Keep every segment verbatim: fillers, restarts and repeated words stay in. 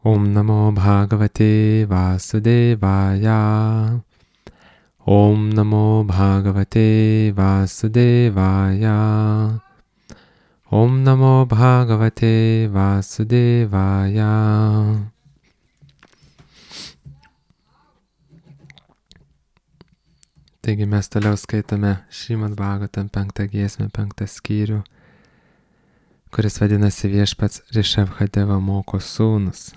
Om Namo Bhagavate Vasudevaya. Om Namo Bhagavate Vasudevaya. Om Namo Bhagavate Vasudevaya. Taigi mes toliau skaitome Šrimad Bhagavatam penktą giesmę, penktą skyrių, kuris vadinasi Viešpats Rišabhadeva moko sūnus.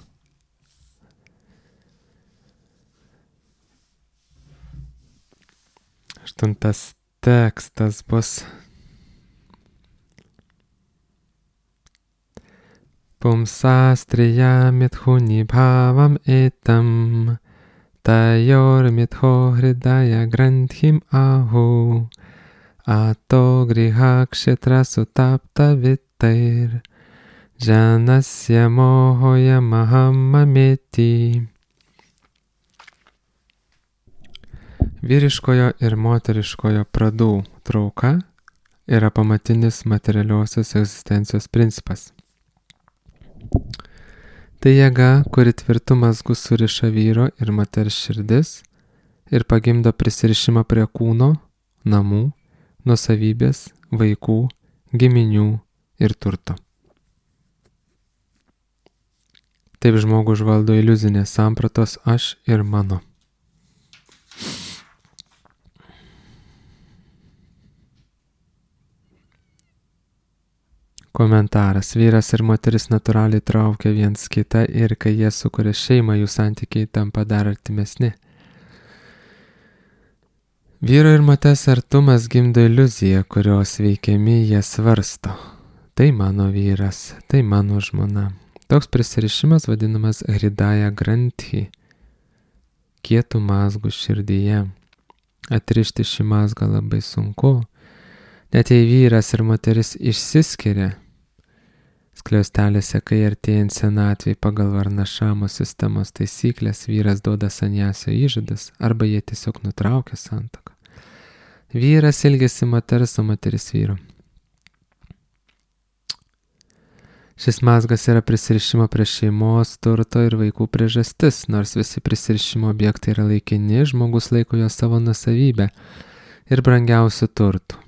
Aštuntas tekstas bus Pumsastriya mithuni bhavam etam Tayor mitho hridaya granthim ahu Ato griha kshetra sutapta vittair Janasya mohoya mahamameti. Vyriškojo ir moteriškojo pradų trauka yra pamatinis materialiosios egzistencijos principas. Tai jėga, kuri tvirtu mazgu suriša vyro ir moters širdis ir pagimdo prisirišimą prie kūno, namų, nuosavybės, vaikų, giminių ir turto. Taip žmogų užvaldo iliuzinės sampratos aš ir mano. Komentaras. Vyras ir moteris natūraliai traukia viens kitą ir kai jie sukuria šeimą, jų santykiai tampa dar artimesni. Vyro ir moters artumas gimdo iliuziją, kurios veikiami jie svarsto. Tai mano vyras, tai mano žmona. Toks prisirišimas vadinamas hridaya granthi, kietų mazgų širdyje. Atrišti šį mazgą labai sunku. Net jei vyras ir moteris išsiskiria, skliaustelėse, kai artėjant senatvei pagal varnašamo sistemos taisyklės vyras duoda sanjasio įžadas arba jie tiesiog nutraukia santuoką. Vyras ilgisi moters, o moteris vyro. Šis mazgas yra prisirišimo prie šeimos, turto ir vaikų priežastis, nors visi prisirišimo objektai yra laikini, žmogus laiko jo savo nuosavybę ir brangiausių turtų.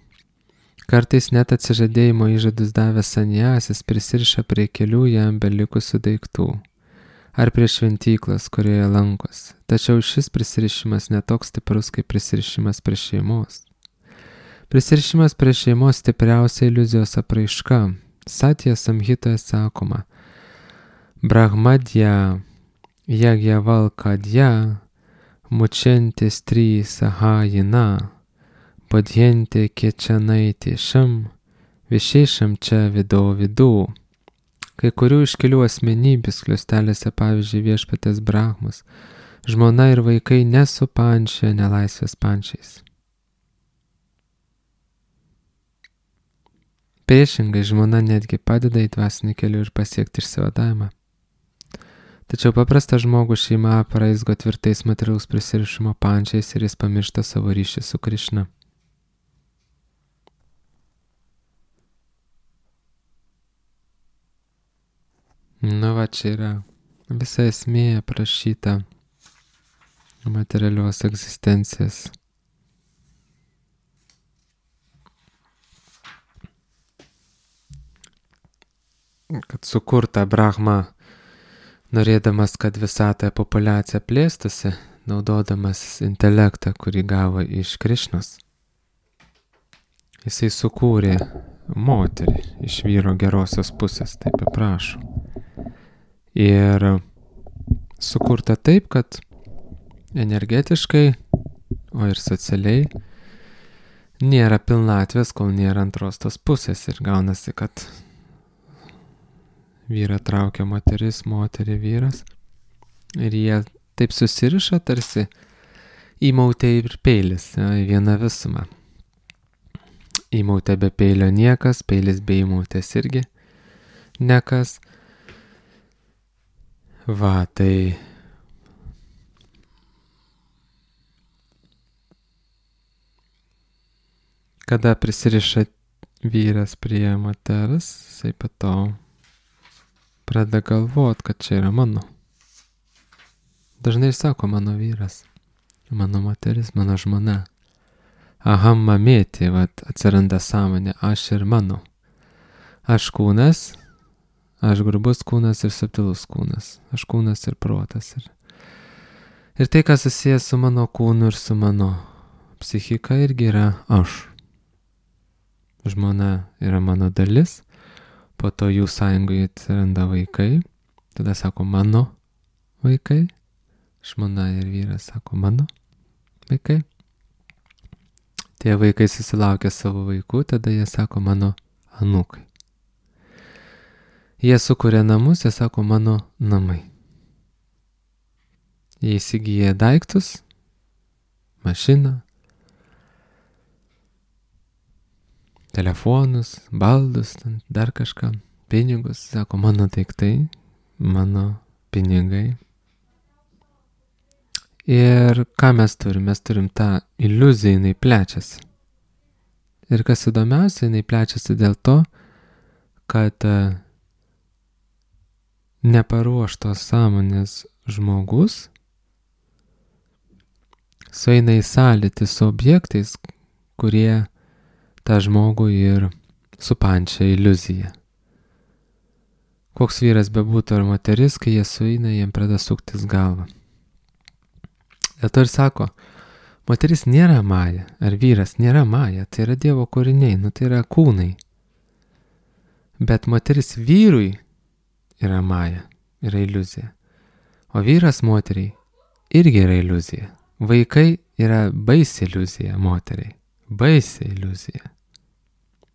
Kartais net atsižadėjimo įžadus davęs sanjasis prisiriša prie kelių jam belikusių daiktų ar prie šventyklos, kurioje lankosi. Tačiau šis prisirišimas netoks stiprus kaip prisirišimas prie šeimos. Prisirišimas prie šeimos stipriausia iliuzijos apraiška. Satya Samhitoje sakoma: Brahmadya Yagyavalkadya Mučenti stri sahajina Padhjente kečanaitė šam, višėšam čia vido vidų. Kai kurių iškilių asmenybių skliaustelėse, pavyzdžiui, viešpatės Brahmas, žmona ir vaikai nesupančia nelaisvės pančiais. Priešingai, žmona netgi padeda į dvasinį kelių ir pasiekti išsivadavimą. Tačiau paprastą žmogų šeima apraizgo tvirtais materialaus prisirišimo pančiais ir jis pamiršta savo ryšį su Krišna. Nu va, čia yra visa esmė aprašyta materialios egzistencijos. Kad sukurta Brahma, norėdamas, kad visatoje populiacija plėstusi, naudodamas intelektą, kurį gavo iš Krišnos, jisai sukūrė moterį iš vyro gerosios pusės, taip aprašo. Ir sukurta taip, kad energetiškai, o ir socialiai nėra pilnatvės, kol nėra antros tos pusės. Ir gaunasi, kad vyrą traukia moteris, moterį vyras. Ir jie taip susiriša tarsi įmautė ir peilis, ja, į vieną visumą. Įmautė be peilio niekas, peilis be įmautės irgi nekas. Va, tai kada prisiriša vyras prie moters, jisai po to pradeda galvot, kad čia yra mano. dažnai sako mano vyras, mano moteris, mano žmona. Aham mamėti, vat atsiranda sąmonė, aš ir mano. Aš kūnas, aš grubus kūnas ir subtilus kūnas. Aš kūnas ir protas. Ir, ir tai, kas susijęs su mano kūnu ir su mano psichika, irgi yra aš. Žmona yra mano dalis, po to jų sąjungoje atsiranda vaikai, tada sako mano vaikai, žmona ir vyras sako mano vaikai. Tie vaikai susilaukia savo vaikų, tada jie sako mano anūkai. Jie sukuria namus, jie sako mano namai. Jie įsigyja daiktus, mašiną, telefonus, baldus, dar kažką, pinigus, sako mano daiktai, mano pinigai. Ir ką mes turim? Mes turim tą iliuziją, jinai plečiasi. Ir kas įdomiausia, jinai plečiasi dėl to, kad neparuoštos sąmonės žmogus sueina į sąlytį su objektais, kurie tą žmogų ir supančia iliuziją. Koks vyras bebūtų ar moteris, kai jie sueina, jiem pradeda suktis galvą. Dėl to ir sako, moteris nėra maja, ar vyras nėra maja, tai yra Dievo kūriniai, nu tai yra kūnai. Bet moteris vyrui yra maja, yra iliuzija. O vyras moteriai irgi yra iliuzija. Vaikai yra baisi iliuzija moteriai. Baisi iliuzija.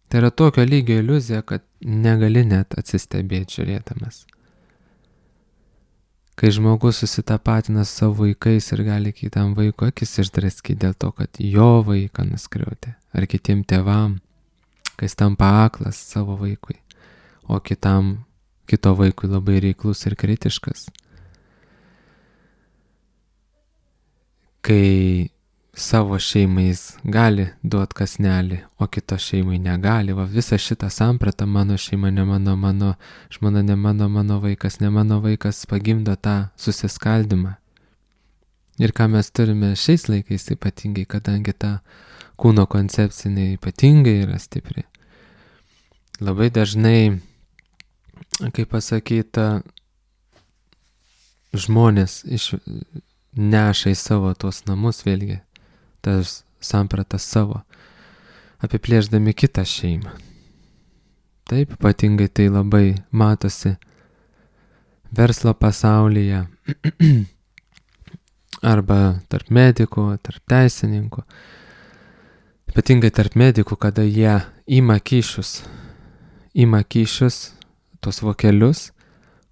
Tai yra tokio lygio iliuzija, kad negali net atsistebėti žiūrėdamas. Kai žmogus susitapatina su savo vaikais ir gali kitam vaiko akis išdraskyti dėl to, kad jo vaiką nuskriaudė, ar kitiem tėvam, kai jis tampa aklas savo vaikui, o kitam, kito vaikui labai reiklus ir kritiškas. Kai savo šeimais gali duot kąsnelį, o kito šeimai negali. Va visą šitą sampratą, mano šeima ne mano, mano žmona ne mano, mano vaikas ne mano vaikas, pagimdo tą susiskaldimą. Ir ką mes turime šiais laikais ypatingai, kadangi ta kūno koncepcinė ypatingai yra stipri. Labai dažnai, kaip pasakyta, žmonės iš, neša į savo tuos namus vėlgi tas sampratas savo, apiplėšdami kitą šeimą. Taip, ypatingai tai labai matosi verslo pasaulyje, arba tarp medikų, tarp teisininkų. Ypatingai tarp medikų, kada jie ima kyšius, ima kyšius, tos vokelius,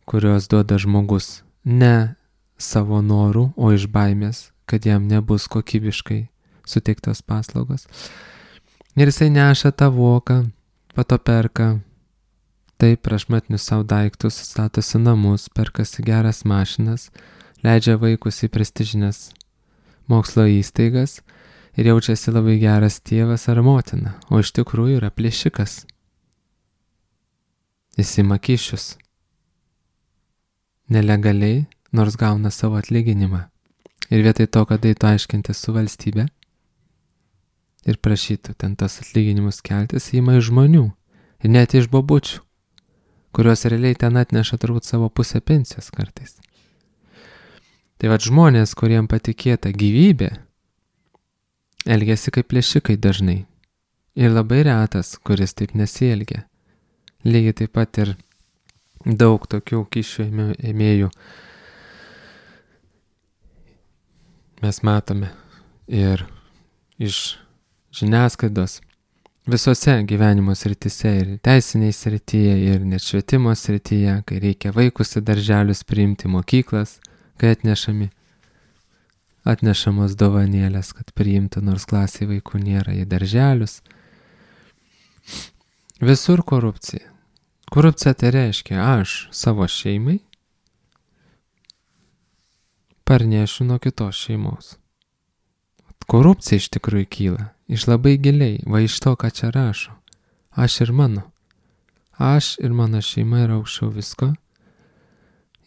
kuriuos duoda žmogus ne savo norų, o iš baimės, kad jam nebus kokybiškai suteiktos paslaugos. Ir jisai neša tą voką, pato perka, taip prašmatnius savo daiktus, statosi namus, perkasi geras mašinas, leidžia vaikus į prestižines mokslo įstaigas ir jaučiasi labai geras tėvas ar motina, o iš tikrųjų yra plėšikas. Jis ima kyšius. Nelegaliai, nors gauna savo atlyginimą. Ir vietoj to, kad eitų aiškintis su valstybe ir prašytų ten tas atlyginimus keltis, įima iš žmonių ir net iš bobučių, kurios realiai ten atneša turbūt savo pusę pensijos kartais. Tai vat žmonės, kuriem patikėta gyvybė, elgiasi kaip plėšikai dažnai. Ir labai retas, kuris taip nesielgia. Lygiai taip pat ir daug tokių kyšių ėmėjų mes matome ir iš žiniasklaidos visose gyvenimo srityse, ir teisiniai srityje, ir net švietimo srityje, kai reikia vaikus į darželius priimti, mokyklas, kai atnešami, atnešamos dovanėlės, kad priimtų, nors klasėje vaikų nėra, į darželius. Visur korupcija. Korupcija tai reiškia, aš savo šeimai parnešiu nuo kitos šeimos. Korupcija iš tikrųjų kyla, iš labai giliai, va iš to, ką čia rašo. Aš ir mano. Aš ir mano šeima yra aukščiau visko.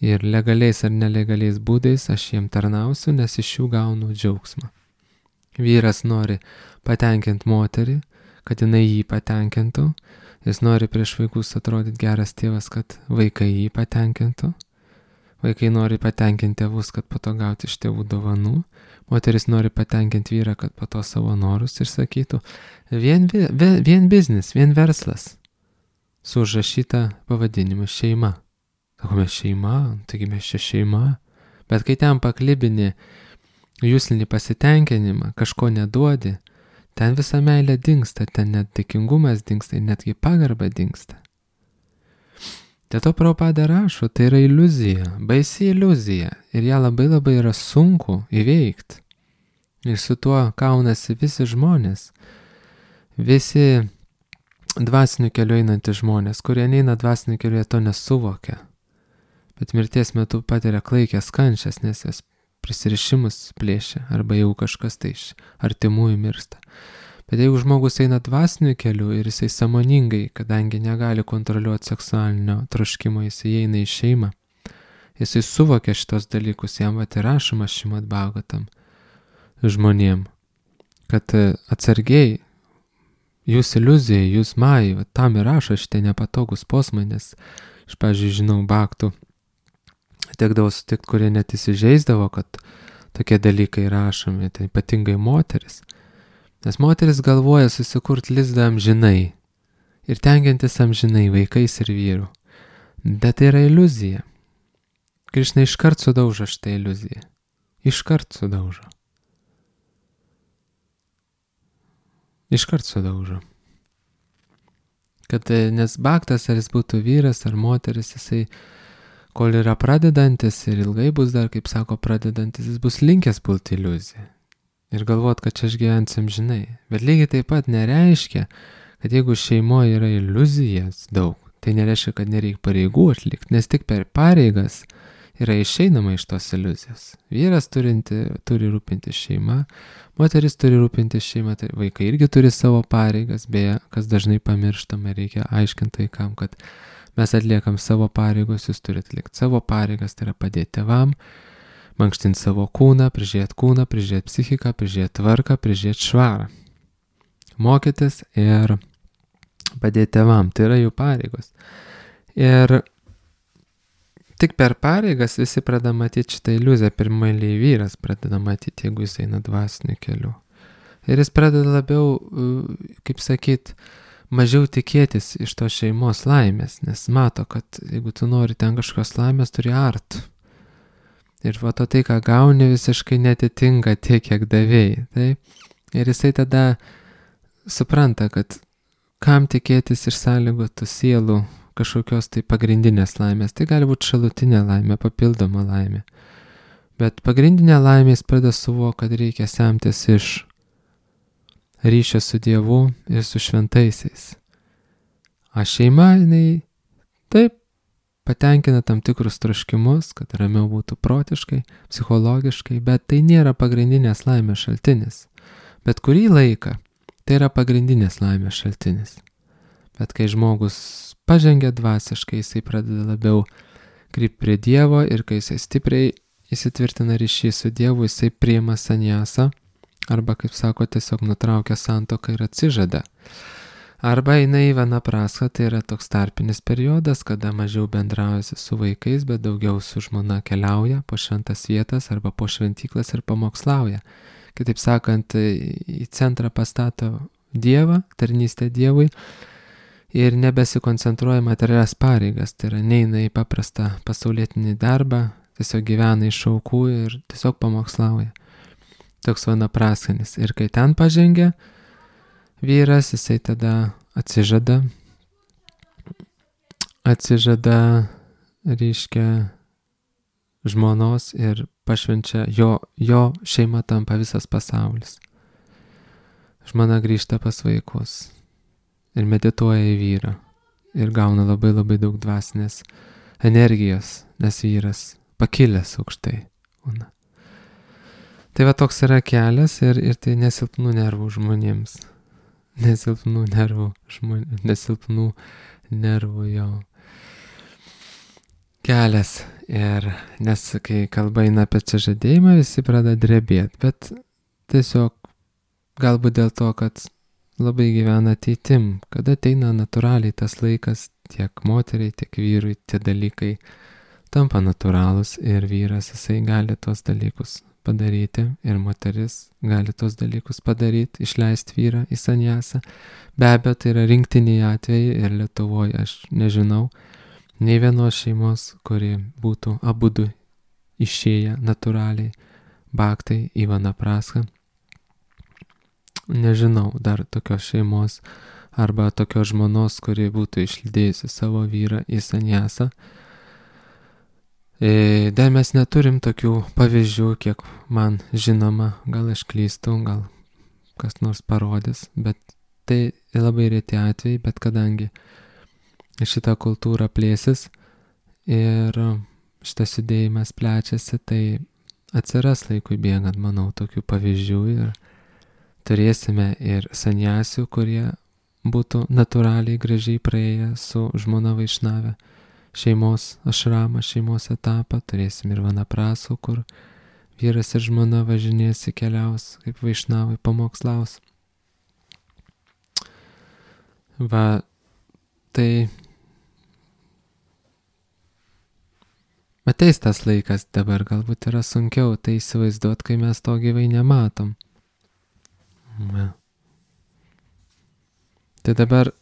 Ir legaliais ar nelegaliais būdais aš jiem tarnausiu, nes iš jų gaunu džiaugsmą. Vyras nori patenkinti moterį, kad jinai jį patenkintų. Jis nori prieš vaikus atrodyti geras tėvas, kad vaikai jį patenkintų. Vaikai nori patenkinti tėvus, kad po to gauti iš tėvų dovanų. Moteris nori patenkinti vyrą, kad po to savo norus išsakytų. Vien, vien, vien biznis, vien verslas. Su užrašyta pavadinimu šeima. Sakome šeima, taigi mes čia šeima. Bet kai ten paklibini jūslinį pasitenkinimą, kažko neduodi, ten visa meilė dingsta, ten net dėkingumas dingsta, netgi pagarba dingsta. Dėl to Prabhupada rašo, tai yra iliuzija, baisi iliuzija ir ją labai labai yra sunku įveikti. Ir su tuo kaunasi visi žmonės, visi dvasinių kelių einantys žmonės, kurie neina dvasinių kelių, jie to nesuvokia. Bet mirties metu patiria klaikės kančias, nes jas prisirišimus plėšia arba jau kažkas tai iš artimųjų miršta. Bet jeigu žmogus eina dvasiniu keliu ir jisai sąmoningai, kadangi negali kontroliuoti seksualinio troškimo, jisai eina į šeimą, jisai suvokia šitos dalykus, jam vat ir rašoma Šrimad Bhagavatam žmonėm, kad atsargiai, jūs iliuzija, jūs majai, vat tam ir rašo šitie nepatogus posmai, nes aš, pavyzdžiui, žinau baktų, tekdavo sutikti, kurie net įsižeisdavo, kad tokie dalykai rašomi, tai ypatingai moteris. Nes moteris galvoja susikurti lizdą amžinai ir tengiantis amžinai vaikais ir vyrų. Bet tai yra iliuzija. Krišna iškart sudaužo šitą iliuziją. Iškart sudaužo. Iškart sudaužo. Kad nes baktas, ar jis būtų vyras ar moteris, jisai, kol yra pradedantis ir ilgai bus dar, kaip sako, pradedantis, jis bus linkęs pulti iliuziją. Ir galvot, kad čia aš gyvensiu amžinai. Bet lygiai taip pat nereiškia, kad jeigu šeimoje yra iliuzijas daug, tai nereiškia, kad nereikia pareigų atlikti, nes tik per pareigas yra išeinama iš tos iliuzijos. Vyras turinti, turi rūpinti šeimą, moteris turi rūpinti šeimą, tai vaikai irgi turi savo pareigas, beje, kas dažnai pamirštama, reikia aiškinti vaikam, kad mes atliekam savo pareigos, jūs turite atlikti savo pareigas, tai yra padėti tėvam, mankštinti savo kūną, prižiūrėti kūną, prižiūrėti psichiką, prižiūrėti tvarką, prižiūrėti švarą. Mokytis ir padėti tėvam, tai yra jų pareigos. Ir tik per pareigas visi pradeda matyti šitą iliuziją, pirmąjį vyras pradeda matyti, jeigu jis eina dvasiniu keliu. Ir jis pradeda labiau, kaip sakyt, mažiau tikėtis iš to šeimos laimės, nes mato, kad jeigu tu nori ten kažkokios laimės, turi art. Ir va to tai, ką gauni, visiškai netitinka tiek, kiek davėjai. Taip? Ir jisai tada supranta, kad kam tikėtis iš sąlygotų sielų kažkokios tai pagrindinės laimės. Tai gali būti šalutinė laimė, papildoma laimė. Bet pagrindinė laimė jis pradeda suvokti, kad reikia semtis iš ryšio su Dievu ir su šventaisiais. O šeima, jinai taip patenkina tam tikrus troškimus, kad ramiau būtų protiškai, psichologiškai, bet tai nėra pagrindinės laimės šaltinis. Bet kurį laiką tai yra pagrindinės laimės šaltinis. Bet kai žmogus pažengia dvasiškai, jisai pradeda labiau krypti prie Dievo ir kai jisai stipriai įsitvirtina ryšį su Dievu, jisai priima sanjasą arba, kaip sako, tiesiog nutraukia santuoką ir atsižada. Arba eina į vanaprasą, tai yra toks tarpinis periodas, kada mažiau bendraujasi su vaikais, bet daugiau su žmona keliauja po šventas vietas arba po šventyklas ir pamokslauja. Kitaip sakant, į centrą pastato Dievą, tarnystę Dievui ir nebesikoncentruoja materialias pareigas, tai yra neina į paprastą pasaulietinį darbą, tiesiog gyvena iš aukų ir tiesiog pamokslauja. Toks vanaprasanis. Ir kai ten pažengia vyras, jisai tada atsižada, atsižada, reiškia, žmonos ir pašvenčia, jo, jo šeima tampa visas pasaulis. Žmona grįžta pas vaikus ir medituoja į vyrą ir gauna labai labai daug dvasinės energijos, nes vyras pakilęs aukštai. Una. Tai va toks yra kelias ir, ir tai nesilpnų nervų žmonėms. Nesilpnų nervų žmonėms, nesilpnų nervų jo kelias. Ir nes kai kalba eina apie atsižadėjimą, visi pradeda drebėti, bet tiesiog galbūt dėl to, kad labai gyvena ateitim, kada ateina natūraliai tas laikas tiek moteriai, tiek vyrui, tie dalykai tampa natūralūs ir vyras jisai gali tos dalykus padaryti ir moteris gali tos dalykus padaryti, išleisti vyrą į sanjasą. Be abejo, tai yra rinktiniai atvejai ir Lietuvoje aš nežinau nei vienos šeimos, kuri būtų abudu išėję natūraliai bhaktai į vanapraską. Nežinau dar tokios šeimos arba tokios žmonos, kuri būtų išlydėjusi savo vyrą į sanjasą. E, dar mes neturim tokių pavyzdžių, kiek man žinoma, gal aš klystu, gal kas nors parodys, bet tai labai reti atvejai, bet kadangi šita kultūra plėsis ir šitas judėjimas plečiasi, tai atsiras laikui bėgant, manau, tokių pavyzdžių ir turėsime ir sanjasių, kurie būtų natūraliai gražiai praėję su žmona vaišnave šeimos ašramą, šeimos etapą, turėsim ir vanaprasų, kur vyras ir žmona važinės, keliaus kaip vaišnavai pamokslaus. Va, tai ateis tas laikas, dabar galbūt yra sunkiau tai įsivaizduoti, kai mes to gyvai nematom. Va. Tai dabar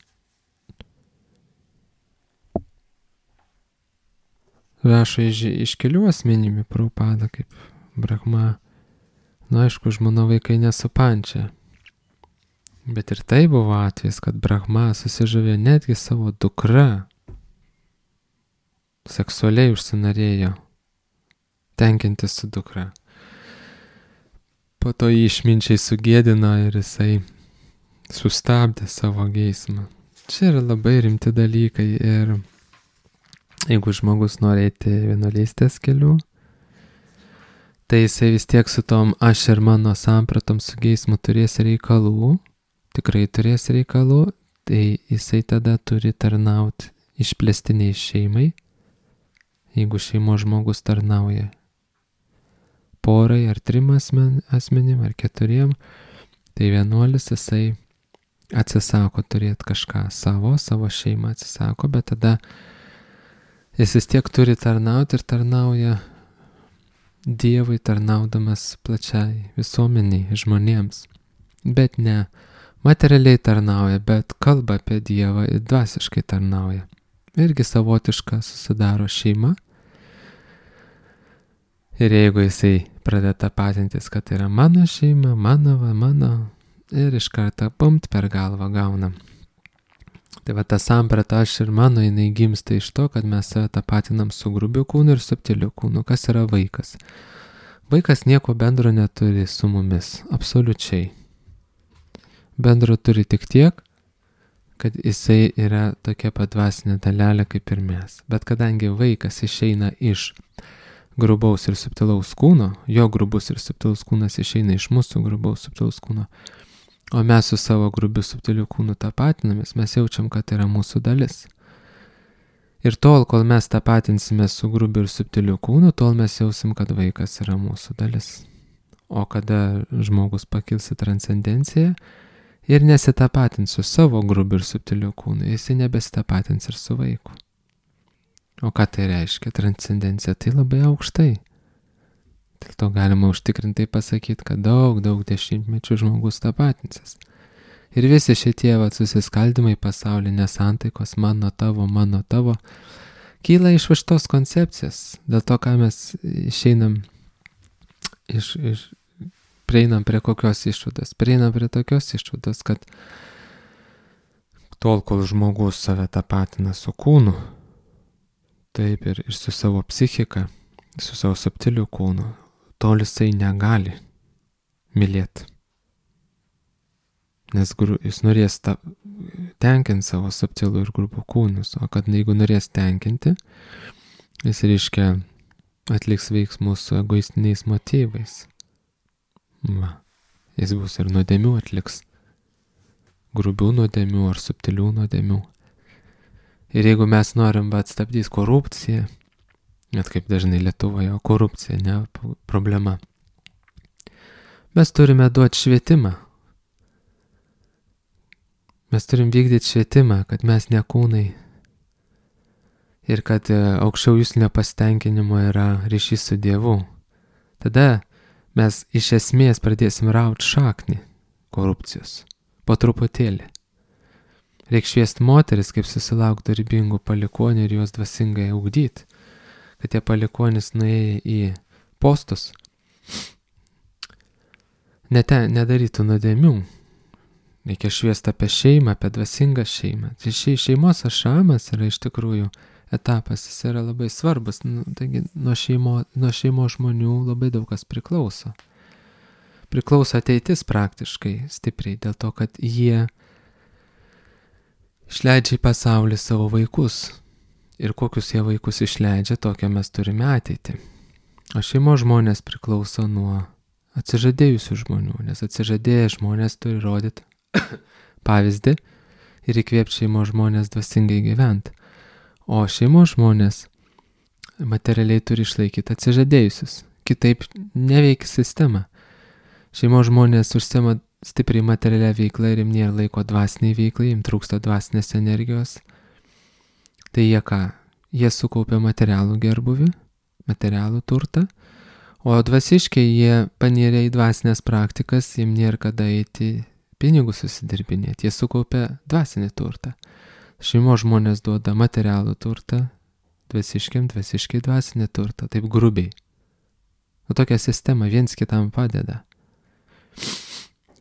rašo iš, iš kelių asmenybių Prabhupada, kaip Brahma. Na, aišku, žmona vaikai nesupančia. Bet ir tai buvo atvejis, kad Brahma susižavėjo netgi savo dukra. Seksualiai užsinorėjo tenkintis su dukra. Po to jį išminčiai sugėdino ir jisai sustabdė savo geismą. Čia yra labai rimti dalykai ir jeigu žmogus nori eiti vienuolystės keliu, tai jisai vis tiek su tom aš ir mano sampratom su geismu turės reikalų, tikrai turės reikalų, tai jisai tada turi tarnauti išplėstiniai šeimai. Jeigu šeimos žmogus tarnauja porai ar trim asmen, asmenim ar keturiem, tai vienuolis jisai atsisako turėti kažką savo, savo šeimą atsisako, bet tada jis vis tiek turi tarnauti ir tarnauja Dievui, tarnaudamas plačiai visuomeniai, žmonėms. Bet ne materialiai tarnauja, bet kalba apie Dievą ir dvasiškai tarnauja. Irgi savotiška susidaro šeima. Ir jeigu jisai pradeda tapatintis, kad tai yra mano šeima, mano, va, mano, ir iš karto pumt per galvą gauna. Tai va ta samprata aš ir mano, jinai gimsta iš to, kad mes save tapatinam su grubiu kūnu ir subtiliu kūnu. Kas yra vaikas? Vaikas nieko bendro neturi su mumis, absoliučiai. Bendro turi tik tiek, kad jisai yra tokia pat dvasinė dalelė kaip ir mes. Bet kadangi vaikas išeina iš grubaus ir subtilaus kūno, jo grubus ir subtilus kūnas išeina iš mūsų grubaus subtilaus kūno, o mes su savo grubiu subtiliu kūnu tapatinamės, mes jaučiam, kad tai yra mūsų dalis. Ir tol, kol mes tapatinsime su grubiu ir subtiliu kūnu, tol mes jausim, kad vaikas yra mūsų dalis. O kada žmogus pakils į transcendenciją ir nesitapatins su savo grubiu ir subtiliu kūnu, jisai nebesitapatins ir su vaiku. O ką tai reiškia? Transcendencija tai labai aukštai. Dėl to galima užtikrintai pasakyti, kad daug, daug dešimtmečių žmogus tapatinsis. Ir visi šitie vat susiskaldimai pasaulinės santaikos, mano tavo, mano tavo, kyla iš šitos koncepcijos. Dėl to, ką mes išeinam, iš, iš, prieinam prie kokios išvados. Prieinam prie tokios išvados, kad tol, kol žmogus save tapatina su kūnu, taip ir, ir su savo psichika, su savo subtiliu kūnu, tol jisai negali mylėti. Nes gru, jis norės ta, tenkinti savo subtilų ir grubų kūnus, o kad jeigu norės tenkinti, jis reiškia atliks veiksmus su egoistiniais motyvais. Va, jis bus ir nuodėmių atliks, grubių nuodėmių ar subtilių nuodėmių. Ir jeigu mes norim atstabdyti korupciją, net kaip dažnai Lietuvoje, korupcija, ne problema. Mes turime duoti švietimą. Mes turim vykdyti švietimą, kad mes ne kūnai ir kad aukščiau jūslinio pasitenkinimo yra ryšys su Dievu. Tada mes iš esmės pradėsim rauti šaknį korupcijos. Po truputėlį. Reikia šviesti moteris, kaip susilaukti dorybingų palikonių ir juos dvasingai ugdyti. Kad tie palikonis nuėję į postus nete, nedarytų nuodėmių. Reikia šviesti apie šeimą, apie dvasingą šeimą. Tai šeimos ašamas yra iš tikrųjų etapas, jis yra labai svarbus. Nu, taigi nuo šeimo, nuo šeimo žmonių labai daug kas priklauso. Priklauso ateitis praktiškai stipriai, dėl to, kad jie išleidžia į pasaulį savo vaikus. Ir kokius jie vaikus išleidžia, tokią mes turime ateitį. O šeimos žmonės priklauso nuo atsižadėjusių žmonių, nes atsižadėję žmonės turi rodyti pavyzdį ir įkvėpti šeimos žmonės dvasingai gyventi. O šeimos žmonės materialiai turi išlaikyti atsižadėjusius. Kitaip neveikia sistema. Šeimos žmonės užsiema stipriai materialią veiklą ir jiem nėra laiko dvasiniai veiklai, jiem trūksta dvasinės energijos. Tai jie ką? Jie sukaupia materialų gerbuvį, materialų turtą, o dvasiškai jie panėrė į dvasinės praktikas, jiem nėra kada eiti pinigus susidirbinėti, jie sukaupia dvasinį turtą. Šeimos žmonės duoda materialų turtą, dvasiškiam, dvasiškai dvasinį turtą, taip grubiai. O tokia sistema viens kitam padeda.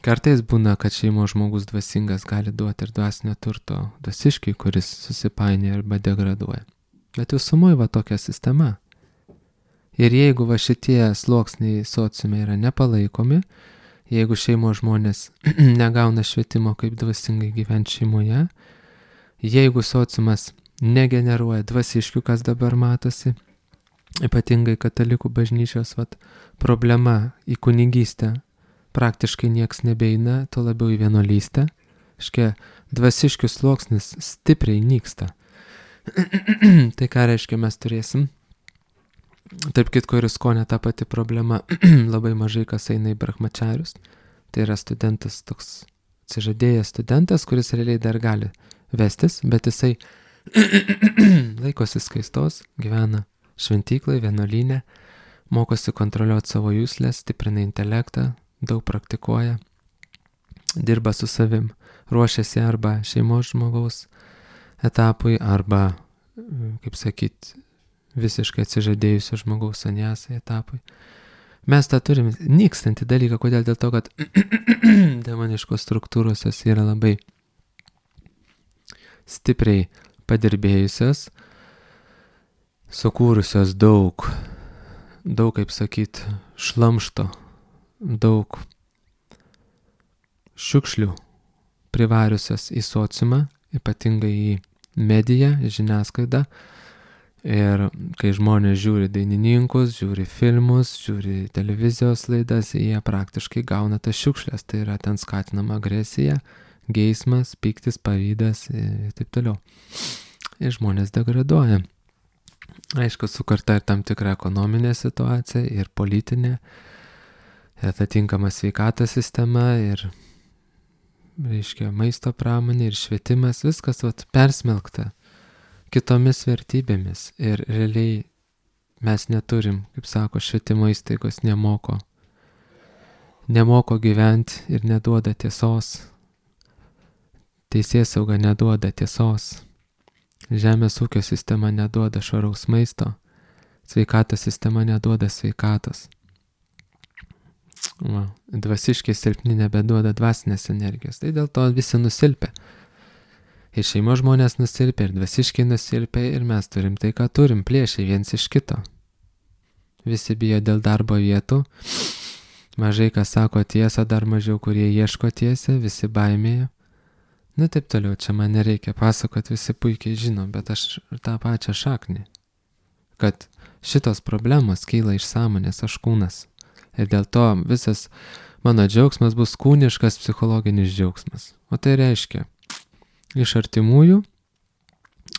Kartais būna, kad šeimos žmogus dvasingas gali duoti ir dvasinio turto dvasiškai, kuris susipainioja arba degraduoja. Bet visumoje va tokia sistema. Ir jeigu va šitie sluoksniai sociume yra nepalaikomi, jeigu šeimos žmonės negauna švietimo, kaip dvasingai gyventi šeimoje, jeigu sociumas negeneruoja dvasiškių, kas dabar matosi, ypatingai katalikų bažnyčios vat, problema į kunigystę, praktiškai nieks nebeina, to labiau į vienuolystę. Reiškia, dvasiškių sluoksnis stipriai nyksta. Tai ką reiškia mes turėsim? Tarp kitko ir Iskonė ta pati problema. Labai mažai kas eina į brahmačarius. Tai yra studentas, toks atsižadėjęs studentas, kuris realiai dar gali vestis, bet jisai laikosi skaistos, gyvena šventyklai, vienuolyne, mokosi kontroliuoti savo juslės, stiprina intelektą, daug praktikuoja, dirba su savim, ruošiasi arba šeimos žmogaus etapui, arba, kaip sakyt, visiškai atsižadėjusio žmogaus sanjasai etapui. Mes tą turim nykstantį dalyką, kodėl? Dėl to, kad demoniškos struktūros jos yra labai stipriai padirbėjusios, sukūrusios daug, daug, kaip sakyt, šlamšto, daug šiukšlių privariusios į sociumą, ypatingai į mediją, žiniasklaidą. Ir kai žmonės žiūri dainininkus, žiūri filmus, žiūri televizijos laidas, jie praktiškai gauna tas šiukšlės. Tai yra ten skatinama agresija, geismas, pyktis, pavydas ir taip toliau. Ir žmonės degraduoja. Aišku, sukurta ir tam tikra ekonominė situacija, ir politinė, ir atitinkama sveikatos sistema, ir, reiškia, maisto pramonė, ir švietimas, viskas vat, persmelkta kitomis vertybėmis. Ir realiai mes neturim, kaip sako, švietimo įstaigos nemoko, nemoko gyventi ir neduoda tiesos. Teisėsauga neduoda tiesos. Žemės ūkio sistema neduoda švaraus maisto. Sveikatos sistema neduoda sveikatos. Va, dvasiškai silpni nebeduoda dvasinės energijos. Tai dėl to visi nusilpia. Ir šeimos žmonės nusilpia, ir dvasiškai nusilpia, ir mes turim tai, ką turim, plėšiai viens iš kito. Visi bijo dėl darbo vietų. Mažai kas sako tiesą, dar mažiau kurie ieško tiesę, visi baimėja. Nu taip toliau, čia man nereikia pasakoti, visi puikiai žino, bet aš tą pačią šaknį. Kad šitos problemos kyla iš sąmonės, aš kūnas. Ir dėl to visas mano džiaugsmas bus kūniškas psichologinis džiaugsmas. O tai reiškia, iš artimųjų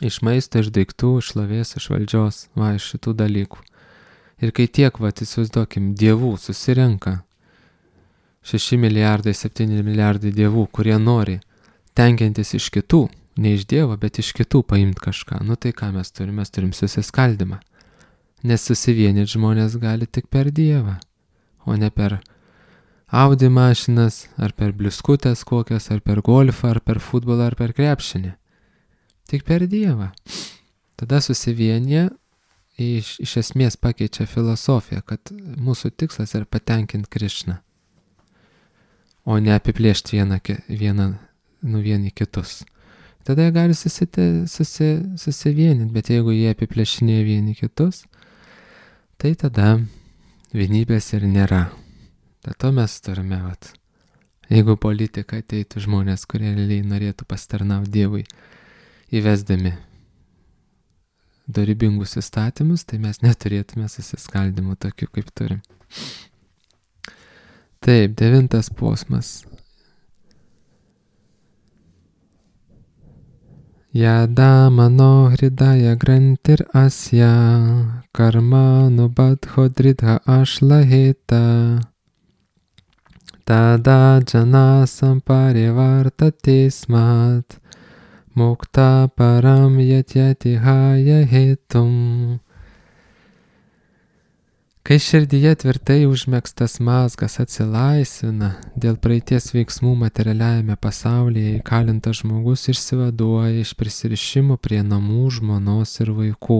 Iš maisto, iš daiktų, iš šlovės, iš valdžios, va, iš šitų dalykų. Ir kai tiek, va, įsivaizduokim, dievų susirenka, šeši milijardai, septyni milijardai dievų, kurie nori tenkintis iš kitų, ne iš Dievo, bet iš kitų paimti kažką. Nu tai ką mes turim? Mes turim susiskaldimą. Nes susivienyti žmonės gali tik per Dievą, o ne per Audi mašinas, ar per bliuskutės kokias, ar per golfą, ar per futbolą, ar per krepšinį. Tik per Dievą. Tada susivienyje iš, iš esmės pakeičia filosofiją, kad mūsų tikslas yra patenkinti Krišną, o ne apiplėšti vieną, vieną nu vieni kitus. Tada jie gali susite, susi, susivieninti, bet jeigu jie apiplėšinėja vieni kitus, tai tada vienybės ir nėra. Dėl to mes turime, vat, jeigu politika ateitų žmonės, kurie realiai norėtų pasitarnauti Dievui, įvesdami dorybingus įstatymus, tai mes neturėtume susiskaldimų tokių, kaip turim. Taip, devintas posmas. Yada mano hridaya grantir asya karma nubadho dridha ashlaheta tada jana samparivartate smat mukta param yatyati haya hetum. Kai širdyje tvirtai užmegztas mazgas atsilaisvina, dėl praeities veiksmų materialiajame pasaulyje įkalintas žmogus išsivaduoja iš prisirišimų prie namų, žmonos ir vaikų.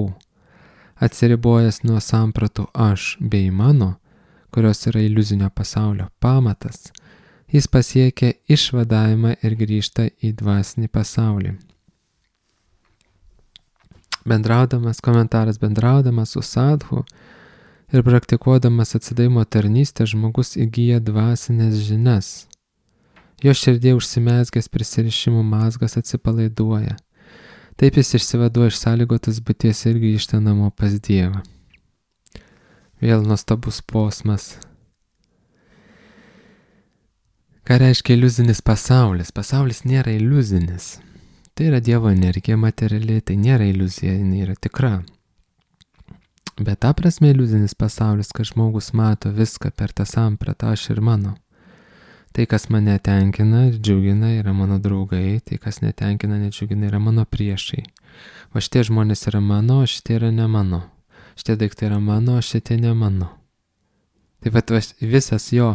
Atsiribojęs nuo sampratų aš bei mano, kurios yra iliuzinio pasaulio pamatas, jis pasiekia išvadavimą ir grįžta į dvasinį pasaulį. Bendraudamas, komentaras bendraudamas su sadhu, ir praktikuodamas atsidavimo tarnystę žmogus įgyja dvasinės žinias. Jo širdie užsimezgęs prisirišimų mazgas atsipalaiduoja. Taip jis išsivaduoja iš sąlygotos būties ir grįžta namo pas Dievą. Vėl nuostabus posmas. Ką reiškia iliuzinis pasaulis? Pasaulis nėra iliuzinis. Tai yra Dievo energija materiali, tai nėra iliuzija, jinai yra tikra. Bet ta prasme iliuzinis pasaulis, kad žmogus mato viską per tą sampratą aš ir mano. Tai, kas mane tenkina ir džiugina, yra mano draugai, tai, kas netenkina, nedžiugina, yra mano priešai. O šitie žmonės yra mano, o šitie yra ne mano. Šitie daiktai yra mano, o šitie ne mano. Taip pat visas jo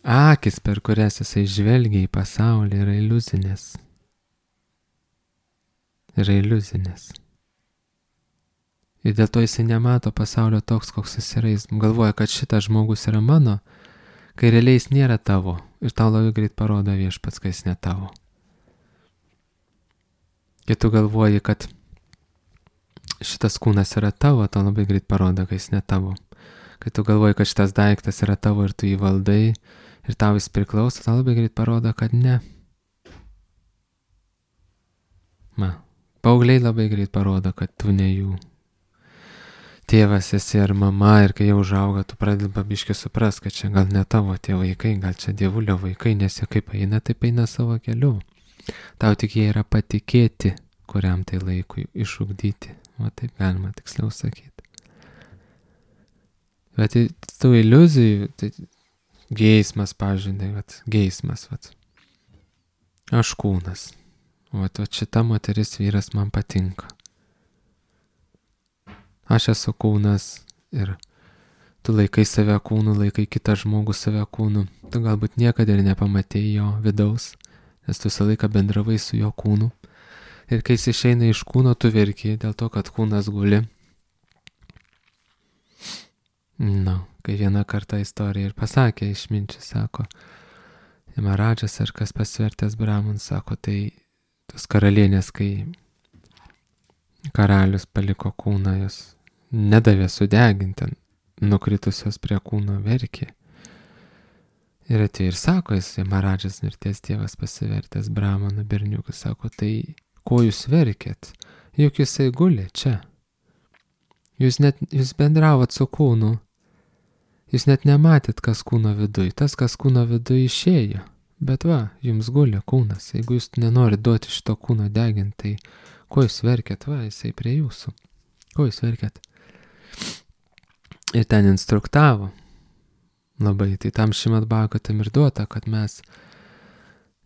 akis, per kurias jisai žvelgia į pasaulį, yra iliuzinės. Yra iliuzinės. Ir dėl to jisai nemato pasaulio toks, koks jis yra. Jis galvoja, kad šitas žmogus yra mano, kai realiai jis nėra tavo. Ir tau labai greit parodo Viešpats, kai jis ne tavo. Kai tu galvoji, kad šitas kūnas yra tavo, tau labai greit parodo, kai jis ne tavo. Kai tu galvoji, kad šitas daiktas yra tavo ir tu jį valdai ir tau jis priklauso, tau labai greit parodo, kad ne. Ma, paaugliai labai greit parodo, kad tu ne jų tėvas esi ar mama, ir kai jau užauga, tu pradedi pabiškai supras, kad čia gal ne tavo tie vaikai, gal čia dievulio vaikai, nes jie kaip eina, taip eina savo keliu. Tau tik jie yra patikėti, kuriam tai laikui išugdyti. O taip galima tiksliau sakyti. Bet tų iliuzijų, tai geismas, pažindai, vat, geismas, vat. Aš kūnas. Vat, vat šita moteris vyras man patinka. Aš esu kūnas ir tu laikai save kūnu, laikai kitą žmogų save kūnu. Tu galbūt niekada ir nepamatėjai jo vidaus, nes tu visą laiką bendravai su jo kūnu. Ir kai jis išeina iš kūno, tu verki dėl to, kad kūnas guli. Na, kai vieną kartą istorija ir pasakė išminčius, sako, Maradžas ar kas pasvertęs Brahman, sako, tai tos karalienės, kai karalius paliko kūną, jos nedavė sudeginti, nukritusios prie kūno verkė. Ir atėjo ir sako, jis Maradžas mirties tėvas pasivertęs Brahmanu berniukas, sako, tai ko jūs verkėt? Juk jisai guli čia. Jūs, net, jūs bendravot su kūnu. Jūs net nematėt, kas kūno viduj. Tas, kas kūno viduj išėjo. Bet va, jums guli kūnas. Jeigu jūs nenorit duoti šito kūno deginti, tai Ko jūs verkėt? Va, jisai prie jūsų. Ko jūs verkėt? Ir ten instruktavo labai. Tai tam Šrimad Bhagavatam ir duota, kad mes,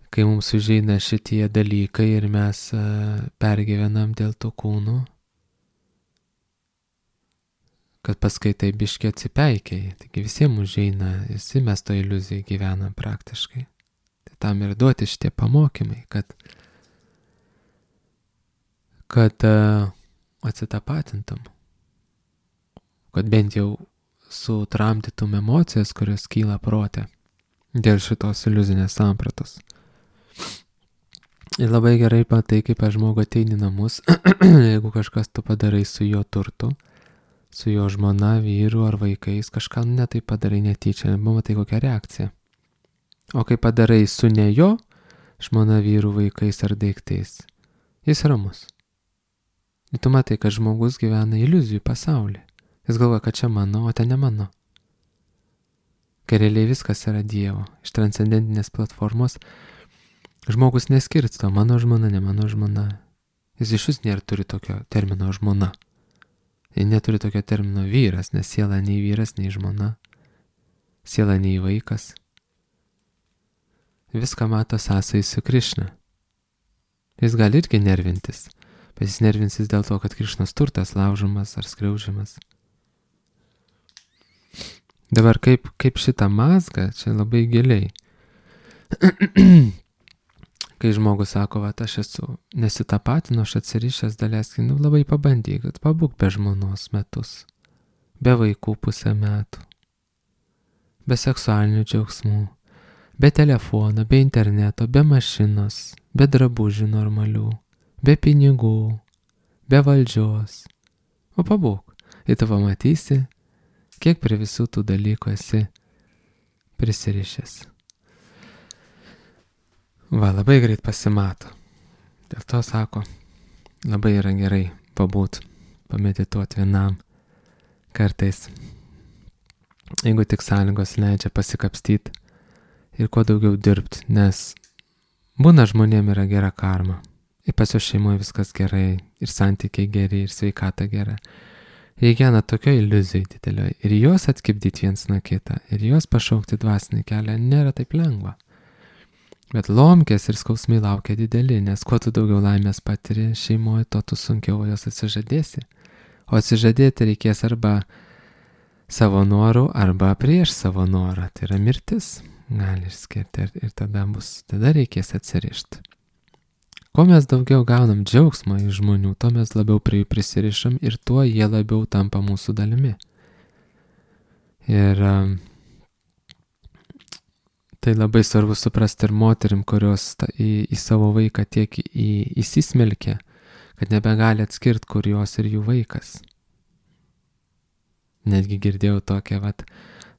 kai mums užeina šitie dalykai ir mes uh, pergyvenam dėl to kūno, kad paskui tai biškiai atsipeikiai. Taigi visiems užeina, visi mes to iliuzijai gyvenam praktiškai. Tai tam ir duoti šitie pamokymai, kad, kad uh, atsitapatintum. Kad bent jau sutramdytum emocijas, kurios kyla prote dėl šitos iliuzinės sampratos. Ir labai gerai patai, kaip aš žmogų ateini namus, jeigu kažkas tu padarai su jo turtu, su jo žmona, vyru ar vaikais, kažką netai padarai netyčia, matai kokią reakciją. O kai padarai su ne jo žmona, vyru, vaikais ar daiktais, jis ramus. Ir tu matai, kad žmogus gyvena iliuzijų pasaulyje. Jis galvoja, kad čia mano, o ten ne mano. Kai realiai viskas yra Dievo. Iš transcendentinės platformos žmogus neskirsto mano žmona, ne mano žmona. Jis iš vis nėra turi tokio termino žmona. Jis neturi tokio termino vyras, nes siela nei vyras, nei žmona. Siela nei vaikas. Viską mato sąsai su Krišna. Jis gali irgi nervintis, bet jis nervinsis dėl to, kad Krišnos turtas laužomas ar skriaužiamas. Dabar kaip, kaip šitą mazgą, čia labai giliai. Kai žmogus sako, va, aš esu nesitapatinu, aš atsirišęs daleiskai, nu labai pabandyk, kad pabūk be žmonos metus, be vaikų pusę metų, be seksualinių džiaugsmų, be telefono, be interneto, be mašinos, be drabužių normalių, be pinigų, be valdžios. O pabūk, ir tu pamatysi, kiek prie visų tų dalykų esi prisirišęs. Va, labai greit pasimato. Dėl to sako, labai yra gerai pabūt, pamedituoti vienam kartais. Jeigu tik sąlygos leidžia pasikapstyti ir kuo daugiau dirbti, nes būna žmonėm yra gera karma. Ir pas jo šeimoje viskas gerai, ir santykiai geri, ir sveikata gera. Jie gyvena tokio iliuzijai didelio ir juos atskipdyti viens nuo kitą ir juos pašaukti dvasinį kelią nėra taip lengva. Bet lomkės ir skausmai laukia dideli, nes kuo tu daugiau laimės patiri šeimoje, to tu sunkiau jos atsižadėsi. O atsižadėti reikės arba savo norų, arba prieš savo norą. Tai yra mirtis, gali išskirti ir, ir tada, bus, tada reikės atsirišti. Kuo mes daugiau gaunam džiaugsmą iš žmonių, to mes labiau prie jų prisirišam ir tuo jie labiau tampa mūsų dalimi. Ir um, tai labai svarbu suprasti ir moterim, kurios ta, į, į savo vaiką tiek į, įsismelkia, kad nebegali atskirti, kur jos ir jų vaikas. Netgi girdėjau tokią vat,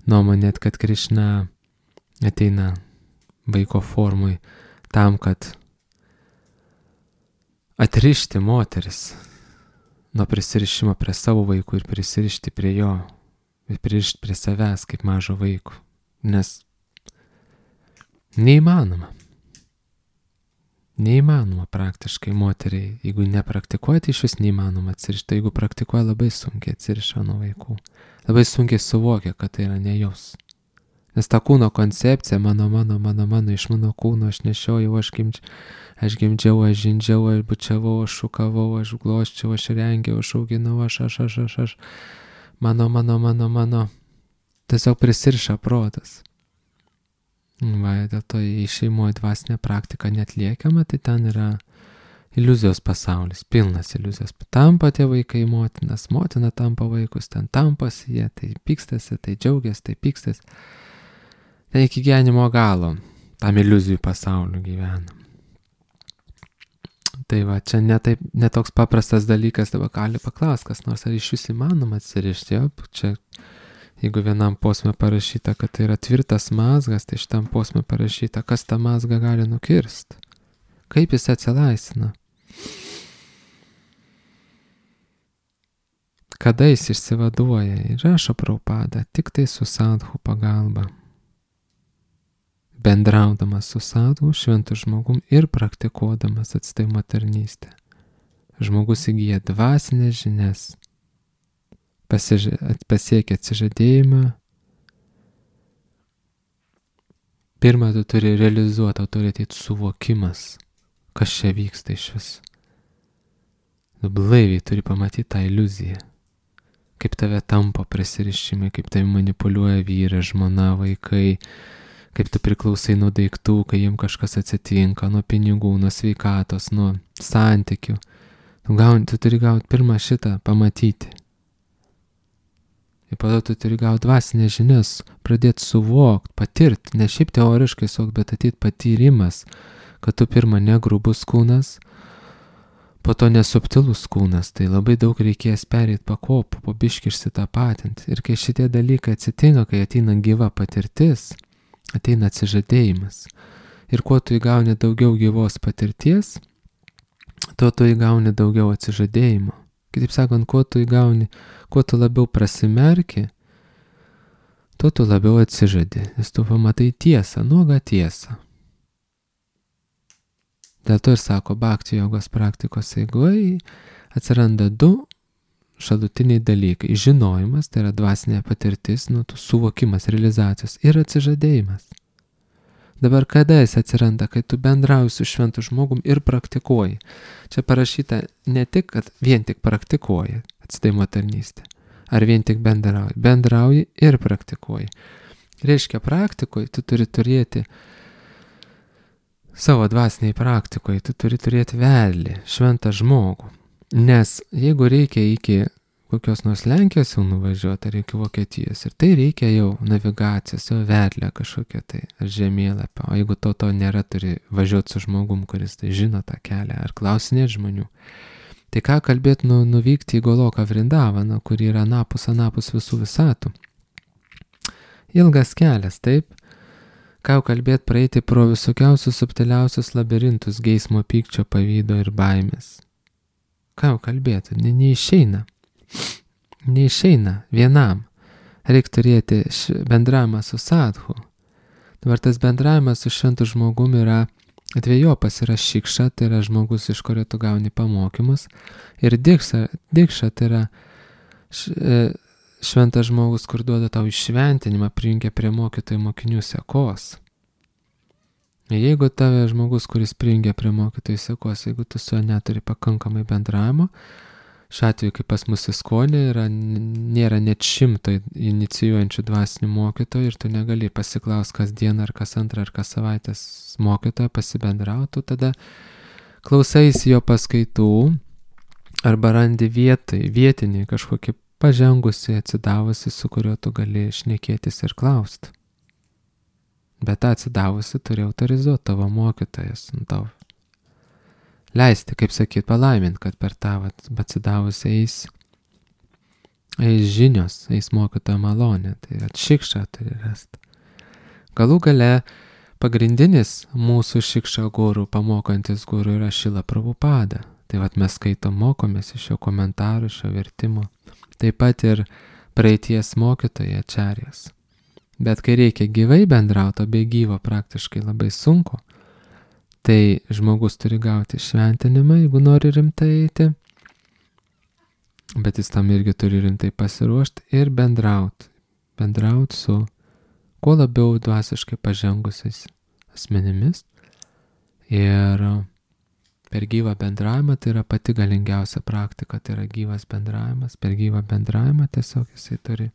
nuomonę, kad Krišna ateina vaiko formui tam, kad atrišti moteris nuo prisirišimo prie savo vaikų ir prisirišti prie jo, ir pririšti prie savęs kaip mažo vaiko. Nes neįmanoma. Neįmanoma praktiškai moteriai, jeigu nepraktikuoja, tai iš vis neįmanoma atsirišti. Jeigu praktikuoja, labai sunkiai atsiriša nuo vaikų. Labai sunkiai suvokia, kad tai yra ne jos. Nes ta kūno koncepcija, mano, mano, mano, mano, iš mano kūno aš nešiojau, aš gimdžiau, aš gimdžiau, aš žindžiau, aš bučiavau, aš šukavau, aš glosčiau, aš rengiau, aš auginau, aš, aš, aš, aš, aš, mano, mano, mano, mano. Tiesiog prisiriša protas. Va, dėl to į šeimoje dvasinę praktiką neatliekama, tai ten yra iliuzijos pasaulis, pilnas iliuzijos. Tampa tie vaikai motinas, motina tampa vaikus, ten tampasi jie, tai pykstasi, tai džiaugiasi, tai pykstasi. Ten iki gyvenimo galo, tam iliuzijų pasauliu gyvenam. Tai va, čia netaip, netoks paprastas dalykas, dabar gali paklausti, kas nors, ar iš vis įmanoma atsirišti, jo, čia, jeigu vienam posme parašyta, kad tai yra tvirtas mazgas, tai šitam posme parašyta, kas tą mazgą gali nukirsti, kaip jis atsilaisina, kada jis išsivaduoja ir rašo Prabhupada tik tai su sadhu pagalba. Bendraudamas su sadhu, šventu žmogum ir praktikuodamas atsidavimo tarnystę. žmogus įgyja dvasinės žinias, pasiž... pasiekia atsižadėjimą. Pirma, tu turi realizuoti, tau turi ateiti suvokimas, kas čia vyksta iš vis. Tu blaiviai turi pamatyti tą iliuziją, kaip tave tampo prisirišimai, kaip tave manipuliuoja vyras, žmona, vaikai, kaip tu priklausai nuo daiktų, kai jiems kažkas atsitinka, nuo pinigų, nuo sveikatos, nuo santykių. Tu, gauni, tu turi gauti pirmą šitą pamatyti. Ir po to tu turi gauti dvasinės žinias, pradėti suvokti, patirti, ne šiaip teoriškai suvokti, bet ateit patyrimas, kad tu pirma negrubus kūnas, po to nesubtilus kūnas, tai labai daug reikės pereiti pakopų, po biškį išsitapatinti. Ir kai šitie dalykai atsitinka, kai ateina gyva patirtis, ateina atsižadėjimas. Ir kuo tu įgauni daugiau gyvos patirties, tuo tu įgauni daugiau atsižadėjimo. Kitaip sakant, kuo tu įgauni, kuo tu labiau prasimerki, tuo tu labiau atsižadi, nes tu pamatai tiesą, nuogą tiesą. Dėl to ir sako, bhakti jogos praktikos eigoje atsiranda du šalutiniai dalykai. Žinojimas, tai yra dvasinė patirtis, nu, suvokimas, realizacijos ir atsižadėjimas. Dabar kada jis atsiranda, kai tu bendrauji su šventu žmogum ir praktikuoji. Čia parašyta ne tik, kad vien tik praktikuoji atsidavimo tarnystę, ar vien tik bendrauji. Bendrauji ir praktikuoji. Reiškia, praktikoje tu turi turėti savo dvasiniai praktikoje, tu turi turėti vedlį, šventą žmogų. Nes jeigu reikia iki kokios nors Lenkijos jau nuvažiuoti, ar iki Vokietijos, ir tai reikia jau navigacijos, jau vedlę kažkokią tai, ar žemėlapio. O jeigu to to nėra, turi važiuoti su žmogum, kuris tai žino tą kelią, ar klausinėti žmonių. Tai ką kalbėti nu, nuvykti į Goloką Vrindavaną, kur yra anapus, anapus visų visatų. Ilgas kelias, taip? Ką kalbėti praeiti pro visokiausius subtiliausius labirintus geismo, pykčio, pavydo ir baimės. Ką kalbėti? Ne, neišeina. Neišeina vienam. Reikia turėti bendravimą su sadhu. Dabar tas bendravimas su šventu žmogumi yra dviejopas, yra šikša, tai yra žmogus, iš kurio tu gauni pamokymus, ir dikša, dikša tai yra šventas žmogus, kur duoda tau iššventinimą, prijungia prie mokytojų mokinių sekos. Jeigu tave žmogus, kuris prijungia prie mokytojų sekos, jeigu tu su juo neturi pakankamai bendravimo, šiuo atveju, kaip pas mus įskonė, yra, nėra net šimto inicijuojančių dvasinių mokytojų ir tu negali pasiklaus kas dieną, ar kas antrą, ar kas savaitės mokytoją pasibendrautų, tada klausaisi jo paskaitų arba randi vietai, vietinį kažkokį pažengusi, atsidavusi, su kuriuo tu gali šnekėtis ir klausti. Bet tą atsidavusi turi autorizuoti tavo mokytojas, tavo leisti, kaip sakyt, palaiminti, kad per tą atsidavusi eis, eis žinios, eis mokytojo malonė, tai šikša turi rasti. Galų gale pagrindinis mūsų šikša guru, pamokantis guru yra Šrila Prabhupada. Tai vat mes skaitom, mokomės iš jo komentarų, iš jo vertimo. Taip pat ir praeities mokytoja Ačarjas. Bet kai reikia gyvai bendrauti, o be gyvo praktiškai labai sunku, tai žmogus turi gauti šventinimą, jeigu nori rimtai eiti, bet jis tam irgi turi rimtai pasiruošti ir bendrauti. Bendrauti su kuo labiau dvasiškai pažengusiais asmenimis. Ir per gyvą bendravimą tai yra pati galingiausia praktika, tai yra gyvas bendravimas. Per gyvą bendravimą tiesiog jisai turi,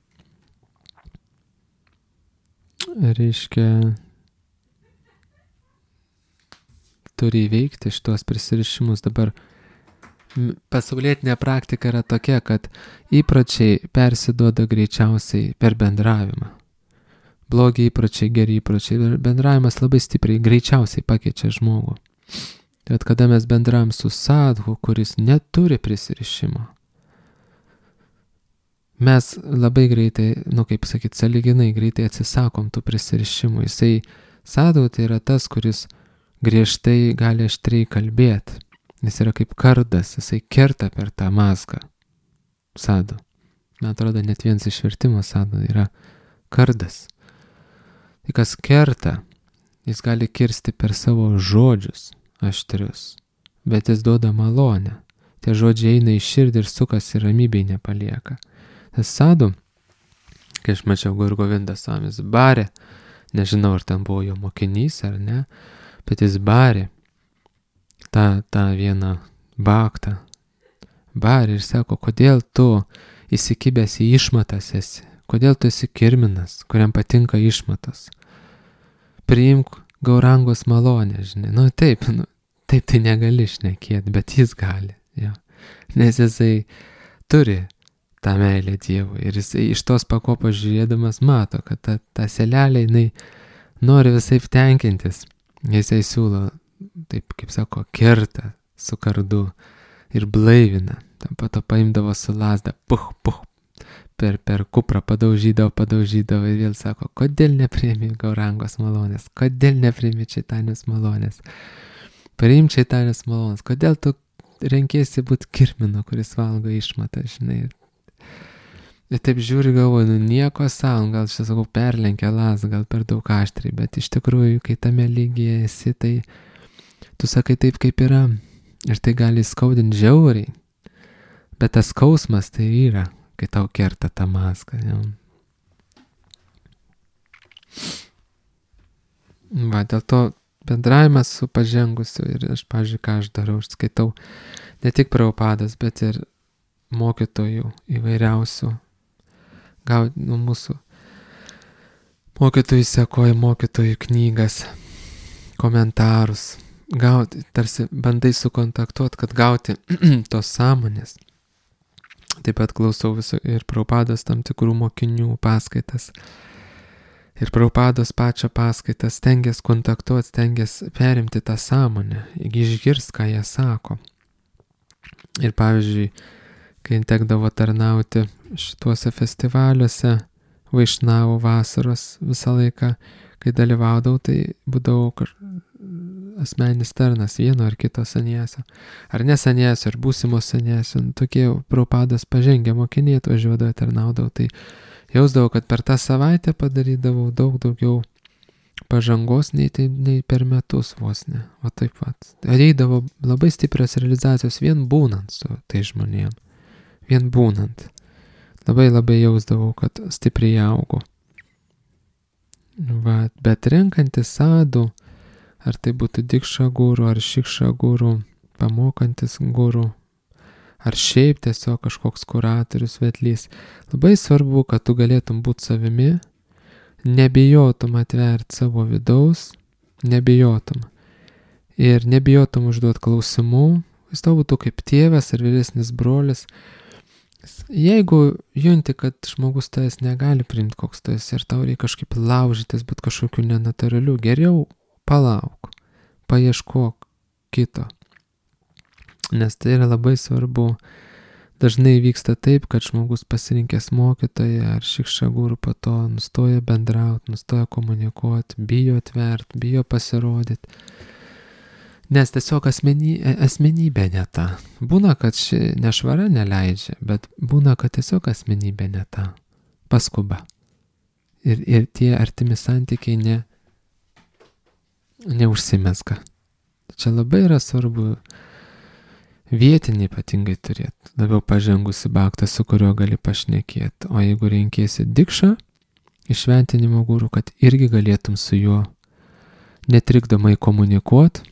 reiškia, turi įveikti šitos prisirišimus. Dabar pasaulietinė praktika yra tokia, kad įpročiai persiduoda greičiausiai per bendravimą. Blogi įpročiai, geri įpročiai. Bendravimas labai stipriai, greičiausiai pakeičia žmogų. Bet kada mes bendravom su sadhu, kuris neturi prisirišimo, mes labai greitai, nu kaip sakyt, sąlyginai greitai atsisakom tų prisirišimų. Jisai, sadhu tai yra tas, kuris griežtai gali aštriai kalbėti. Jis yra kaip kardas, jisai kerta per tą mazgą. Sadhu. Man atrodo, net vienas išvertimo sadhu yra kardas. Tai kas kerta, jis gali kirsti per savo žodžius aštrius, bet jis duoda malonę. tie žodžiai eina į širdį ir sukasi ramybėj nepalieka. Tas sadhu, kai aš mačiau Guru Govinda Swamis barė, nežinau ar ten buvo jo mokinys ar ne, bet jis barė tą, tą vieną baktą, barė ir sako, kodėl tu įsikibęs į išmatas esi, kodėl tu esi kirminas, kuriam patinka išmatas. Priimk Gaurangos malonę, žinai. Nu taip, nu, taip tai negali šnekėti, bet jis gali. Jo. Nes jisai turi tą meilę Dievui ir jisai iš tos pakopos žiūrėdamas mato, kad ta, ta selelė, jinai nori visaip tenkintis. Jisai siūlo, taip kaip sako, kerta su kardu ir blaivina. Tam pato paimdavo su lasda, puh, puh, per, per kuprą padaužydavo, padaužydavo ir vėl sako, kodėl nepriimi Gaurangos malonės, kodėl nepriimi Čaitanijos malonės, priim Čaitanijos malonės, kodėl tu renkiesi būti kirminu, kuris valgo išmatą, žinai. Ir taip žiūri, galvoju, nu nieko savo, gal čia sakau, perlenkia lasdą, gal per daug aštriai, bet iš tikrųjų, kai tame lygyje esi, tai tu sakai taip, kaip yra. Ir tai gali skaudinti žiauriai. Bet tas skausmas tai yra, kai tau kerta tą mazgą. Ja. Va, dėl to bendravimas su pažengusiu ir aš, pavyzdžiui, ką aš darau, aš skaitau ne tik Prabhupados, bet ir mokytojų įvairiausių. Gal nu, mūsų mokytojų sekoja mokytojų knygas, komentarus. Gauti, tarsi bandai sukontaktuoti, kad gauti tos sąmonės. Taip pat klausau viso ir Prabhupados tam tikrų mokinių paskaitas. Ir Prabhupados pačią paskaitas stengias kontaktuoti, stengias perimti tą sąmonę, išgirsti, ką jie sako. Ir pavyzdžiui, kai tekdavo tarnauti šituose festivaliuose, Vaišnavų vasaros visą laiką, kai dalyvaudavau, tai būdavau kažkaip asmeninis tarnas vieno ar kito saniesio, ar ne saniesio, ar būsimo saniesio, tokie Prabhupados pažengę mokiniai atvažiuodavo, tarnaudavau, tai jausdavau, kad per tą savaitę padarydavau daug daugiau pažangos nei, tai, nei per metus vos ne, o taip pat. Ateidavo labai stiprios realizacijos vien būnant su tai žmonėm, vien būnant. Labai labai jausdavau, kad stipriai augu. Va, bet renkantis sadhu, ar tai būtų dikša guru, ar šikša guru, pamokantis guru, ar šiaip tiesiog kažkoks kuratorius, vedlys. Labai svarbu, kad tu galėtum būti savimi, nebijotum atverti savo vidaus, nebijotum. Ir nebijotum užduoti klausimų, jis tau būtų kaip tėvas ar vyresnis brolis. Jeigu junti, kad žmogus tavęs negali priimti, koks tu esi, ir tau reikia kažkaip laužytis, būti kažkokiu nenaturaliu, geriau palauk, paieškok kito. Nes tai yra labai svarbu. Dažnai vyksta taip, kad žmogus pasirinkęs mokytoją ar šikša guru po to nustoja bendrauti, nustoja komunikuoti, bijo atverti, bijo pasirodyti. Nes tiesiog asmeny, asmenybė ne ta. Būna, kad ši nešvara neleidžia, bet būna, kad tiesiog asmenybė ne ta. Paskuba. Ir, ir tie artimi santykiai ne neužsimezga. Čia labai yra svarbu vietinį ypatingai turėti, labiau pažengusi baktą, su kuriuo gali pašnekėti. O jeigu renkėsi dikšą, išventinimo guru, kad irgi galėtum su juo netrikdomai komunikuoti.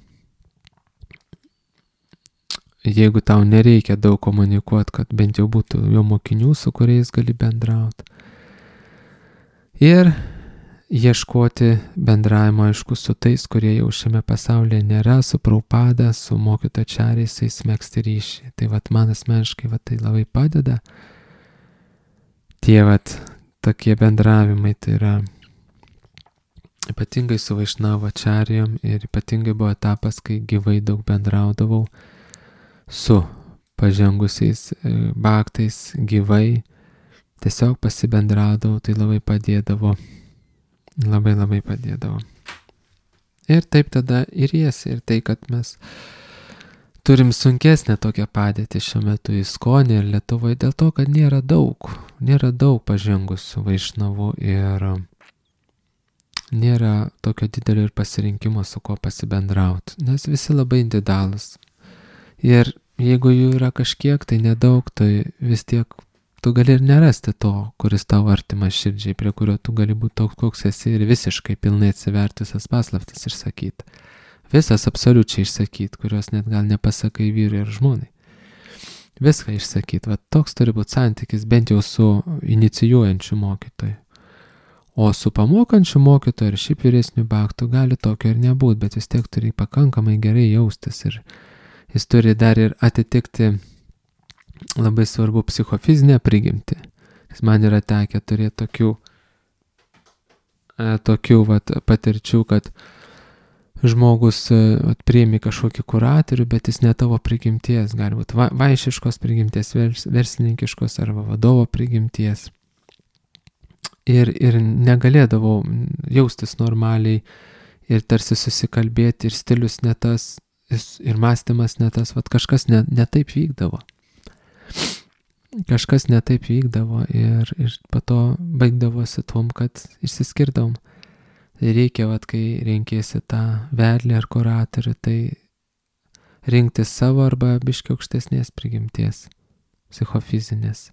Jeigu tau nereikia daug komunikuoti, kad bent jau būtų jo mokinių, su kuriais gali bendrauti. Ir ieškoti bendravimo, aišku, su tais, kurie jau šiame pasaulyje nėra, su Prabhupada, su mokytočariais, įsmegzti ryšį. Tai vat man asmeniškai vat tai labai padeda. Tie vat tokie bendravimai, tai yra ypatingai su Vaišnavačarijom ir ypatingai buvo etapas, kai gyvai daug bendraudavau su pažengusiais baktais gyvai, tiesiog pasibendraudavau, tai labai padėdavo. Labai labai padėdavo. Ir taip tada ir jėsi, ir tai, kad mes turim sunkesnę tokią padėtį šiuo metu Iskonį ir Lietuvoje, dėl to, kad nėra daug, nėra daug pažengusių vaišnavų ir nėra tokio didelio ir pasirinkimo, su kuo pasibendrauti, nes visi labai individualūs. Ir jeigu jų yra kažkiek, tai nedaug, tai vis tiek tu gali ir nerasti to, kuris tau artimas širdžiai, prie kurio tu gali būti toks, koks esi ir visiškai pilnai atsiverti visas paslaptis išsakyti. Visas absoliučiai išsakyti, kurios net gal nepasakai vyrui ir žmonai. Viską išsakyti. Va toks turi būti santykis bent jau su inicijuojančiu mokytoju. O su pamokančiu mokytoju ir šiaip vyresniu baktu gali tokio ir nebūti, bet vis tiek turi pakankamai gerai jaustis ir jis turi dar ir atitikti labai svarbu psichofizinę prigimtį. Nes man yra tekę turėti tokių, e, tokių vat, patirčių, kad žmogus vat, priimi kažkokį kuratorių, bet jis ne tavo prigimties, gali būti va, vaišiškos prigimties, vers, verslininkiškos arba vadovo prigimties. Ir, ir negalėdavau jaustis normaliai ir tarsi susikalbėti ir stilius ne tas, ir mąstymas ne tas, vat kažkas ne, ne taip vykdavo. Kažkas ne taip vykdavo ir, ir po to baigdavosi tom, kad išsiskirdavom. Tai reikia, vat, kai renkėsi tą vedlį ar kuratorių, tai rinktis savo arba biškį aukštesnės prigimties, psichofizinės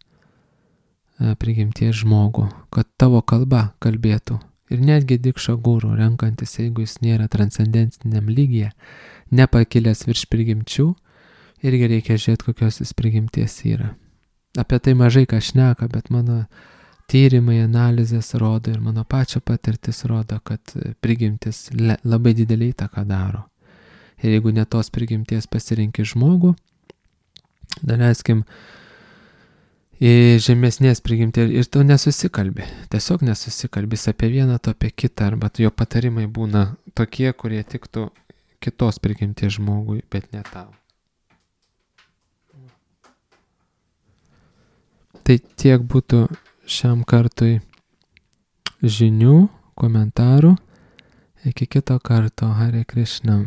prigimties žmogų, kad tavo kalba kalbėtų. Ir netgi dikšą gūrų renkantis, jeigu jis nėra transcendentiniam lygyje, nepakilęs virš prigimčių, irgi reikia žiūrėti, kokios jis prigimties yra. Apie tai mažai ką šneka, bet mano tyrimai, analizės rodo ir mano pačio patirtis rodo, kad prigimtis le, labai didelį įtaką daro. Ir jeigu ne tos prigimties pasirinki žmogų, daleiskim, į žemesnės prigimtį ir tu nesusikalbi. Tiesiog nesusikalbi apie vieną, tu apie kitą, arba jo patarimai būna tokie, kurie tiktų kitos prigimties žmogui, bet ne tau. Tai tiek būtų šiam kartui žinių, komentarų. Iki kito karto. Hare Krishna.